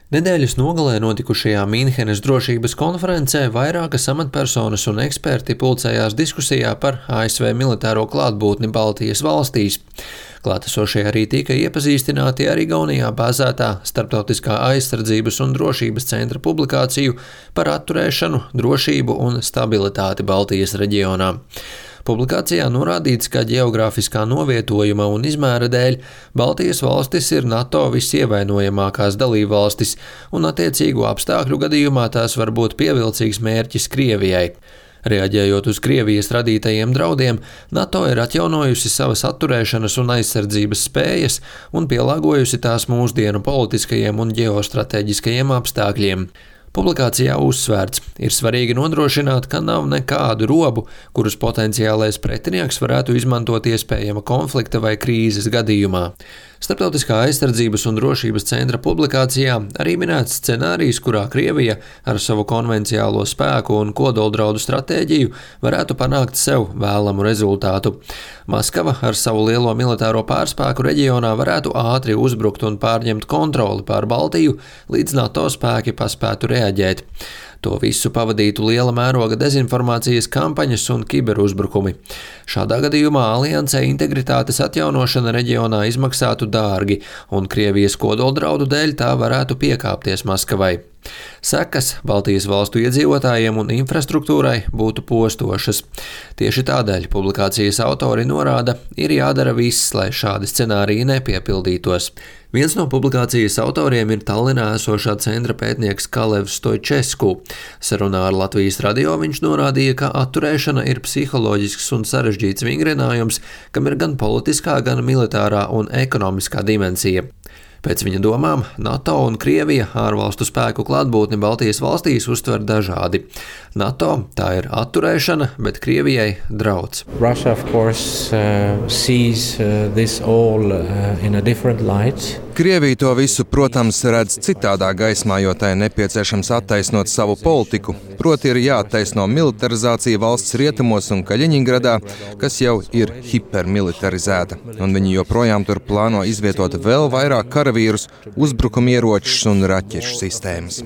Nedēļas nogalē notikušajā Mīnhenes drošības konferencē vairākas amatpersonas un eksperti pulcējās diskusijā par ASV militāro klātbūtni Baltijas valstīs. Klātesošie arī tika iepazīstināti ar Igaunijā bāzētā Starptautiskā aizsardzības un drošības centra publikāciju par atturēšanu, drošību un stabilitāti Baltijas reģionā. Publikācijā norādīts, ka ģeogrāfiskā novietojuma un izmēra dēļ Baltijas valstis ir NATO visievainojamākās dalībvalstis, un attiecīgu apstākļu gadījumā tās var būt pievilcīgs mērķis Krievijai. Reaģējot uz Krievijas radītajiem draudiem, NATO ir atjaunojusi savas atturēšanas un aizsardzības spējas un pielāgojusi tās mūsdienu politiskajiem un ģeostrateģiskajiem apstākļiem. Publikācijā uzsvērts, ir svarīgi nodrošināt, ka nav nekādu robu, kurus potenciālais pretinieks varētu izmantot iespējama konflikta vai krīzes gadījumā. Starptautiskā aizsardzības un drošības centra publikācijā arī minēts scenārijs, kurā Krievija ar savu konvenciālo spēku un kodoldraudu stratēģiju varētu panākt sev vēlamu rezultātu. Maskava ar savu lielo militāro pārspēku reģionā varētu ātri uzbrukt un pārņemt kontroli pār Baltiju, līdz NATO spēki paspētu reaģēt. To visu pavadītu liela mēroga dezinformācijas kampaņas un kiberuzbrukumi. Šādā gadījumā aliansē integritātes atjaunošana reģionā izmaksātu dārgi, un Krievijas kodoldraudu dēļ tā varētu piekāpties Maskavai. Sekas Baltijas valstu iedzīvotājiem un infrastruktūrai būtu postošas. Tieši tādēļ publikācijas autori norāda, ir jādara viss, lai šādi scenāriji nepiepildītos. Viens no publikācijas autoriem ir Tallinā esošā centra pētnieks Kalevs Stoičesku. Sarunā ar Latvijas radio viņš norādīja, ka atturēšana ir psiholoģisks un sarežģīts vingrinājums, kam ir gan politiskā, gan militārā un ekonomiskā dimensija. Pēc viņa domām, NATO un Krievija ārvalstu spēku klātbūtni Baltijas valstīs uztver dažādi. NATO tā ir atturēšana, bet Krievijai drauds. Russia, of course, sees this all in a different light. Krievija to visu, protams, redz citādā gaismā, jo tai nepieciešams attaisnot savu politiku. Proti ir jāattaisno militarizācija valsts rietumos un Kaļiņingradā, kas jau ir hipermilitarizēta. Un viņi joprojām tur plāno izvietot vēl vairāk karavīrus, uzbrukumieročus un raķešu sistēmas.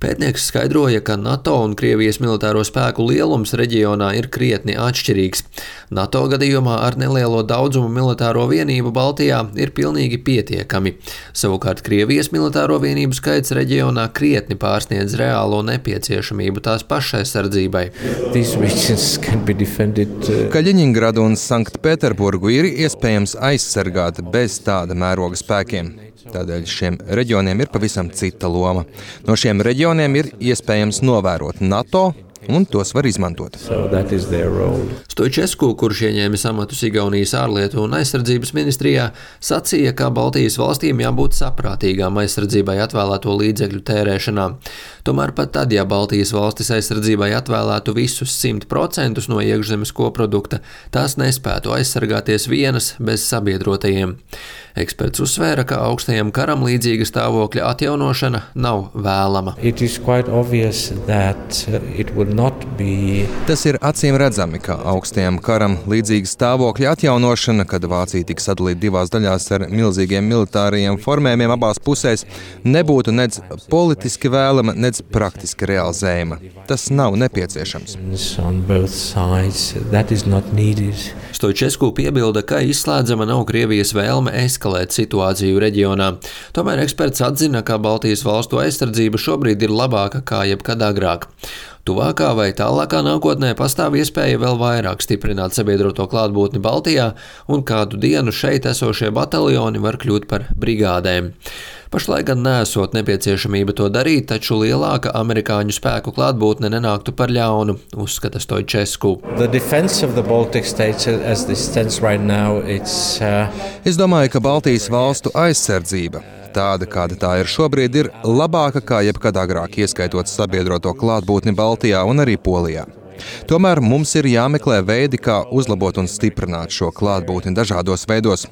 Pētnieks skaidroja, ka NATO un Krievijas militāro spēku lielums reģionā ir krietni atšķirīgs. NATO gadījumā ar nelielo daudzumu militāro vienību Baltijā ir pilnīgi pietiekami. Savukārt Krievijas militāro vienību skaits reģionā krietni pārsniedz reālo nepieciešamību tās pašaizsardzībai. Kaļiņingradu un Sanktpēterburgu ir iespējams aizsargāt bez tāda mēroga spēkiem. Tādēļ šiem reģioniem ir pavisam cita loma. No šiem reģioniem ir iespējams novērot NATO, un tos var izmantot. Stoičesku, kurš ieņēmis amatus Igaunijas ārlietu un aizsardzības ministrijā, sacīja, ka Baltijas valstīm jābūt saprātīgām aizsardzībai atvēlēto līdzekļu tērēšanā. Tomēr pat tad, ja Baltijas valstis aizsardzībai atvēlētu visus 100% no iekšzemes koprodukta, tās nespētu aizsargāties vienas bez sabiedrotajiem. Eksperts uzsvēra, ka augstajam karam līdzīga stāvokļa atjaunošana nav vēlama. Tas ir acīm redzami, ka augstajam karam līdzīga stāvokļa atjaunošana, kad Vācija tika sadalīta divās daļās ar milzīgiem militārajiem formējumiem abās pusēs, nebūtu nedz politiski vēlama, nedz praktiski realizējama. Tas nav nepieciešams. Stoičesku piebilda, ka izslēdzama nav Krievijas vēlme eskalēt situāciju reģionā. Tomēr eksperts atzina, ka Baltijas valstu aizsardzība šobrīd ir labāka kā jebkad agrāk. Tuvākā vai tālākā nākotnē pastāv iespēja vēl vairāk stiprināt sabiedroto klātbūtni Baltijā, un kādu dienu šeit esošie bataljoni var kļūt par brigādēm. Pašlaik gan nesot nepieciešamība to darīt, taču lielāka amerikāņu spēku klātbūtne nenāktu par ļaunu, uzskata Stoičesku. Es domāju, ka Baltijas valstu aizsardzība, tāda, kāda tā ir šobrīd, ir labāka kā jebkad agrāk, ieskaitot sabiedroto klātbūtni Baltijā un arī Polijā. Tomēr mums ir jāmeklē veidi, kā uzlabot un stiprināt šo klātbūtni dažādos veidos.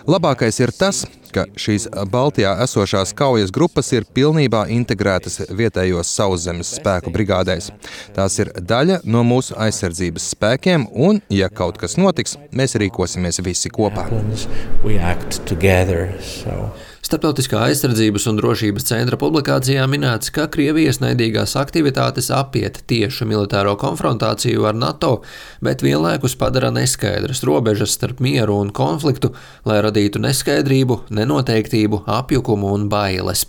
Labākais ir tas, ka šīs Baltijā esošās kaujas grupas ir pilnībā integrētas vietējos sauszemes spēku brigādēs. Tās ir daļa no mūsu aizsardzības spēkiem, un, ja kaut kas notiks, mēs rīkosimies visi kopā. Starptautiskā aizsardzības un drošības centra publikācijā minēts, ka Krievijas naidīgās aktivitātes apiet tiešu militāro konfrontāciju ar NATO, bet vienlaikus padara neskaidras robežas starp mieru un konfliktu, lai radītu neskaidrību, nenoteiktību, apjukumu un bailes.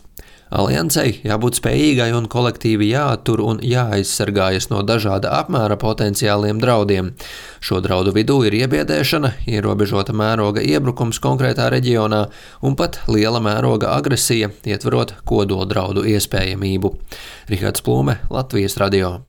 Aliansei jābūt spējīgai un kolektīvi jāattur un jāaizsargājas no dažāda apmēra potenciāliem draudiem. Šo draudu vidū ir iebiedēšana, ierobežota mēroga iebrukums konkrētā reģionā un pat liela mēroga agresija, ietverot kodoldraudu iespējamību. Rihards Plūme, Latvijas radio.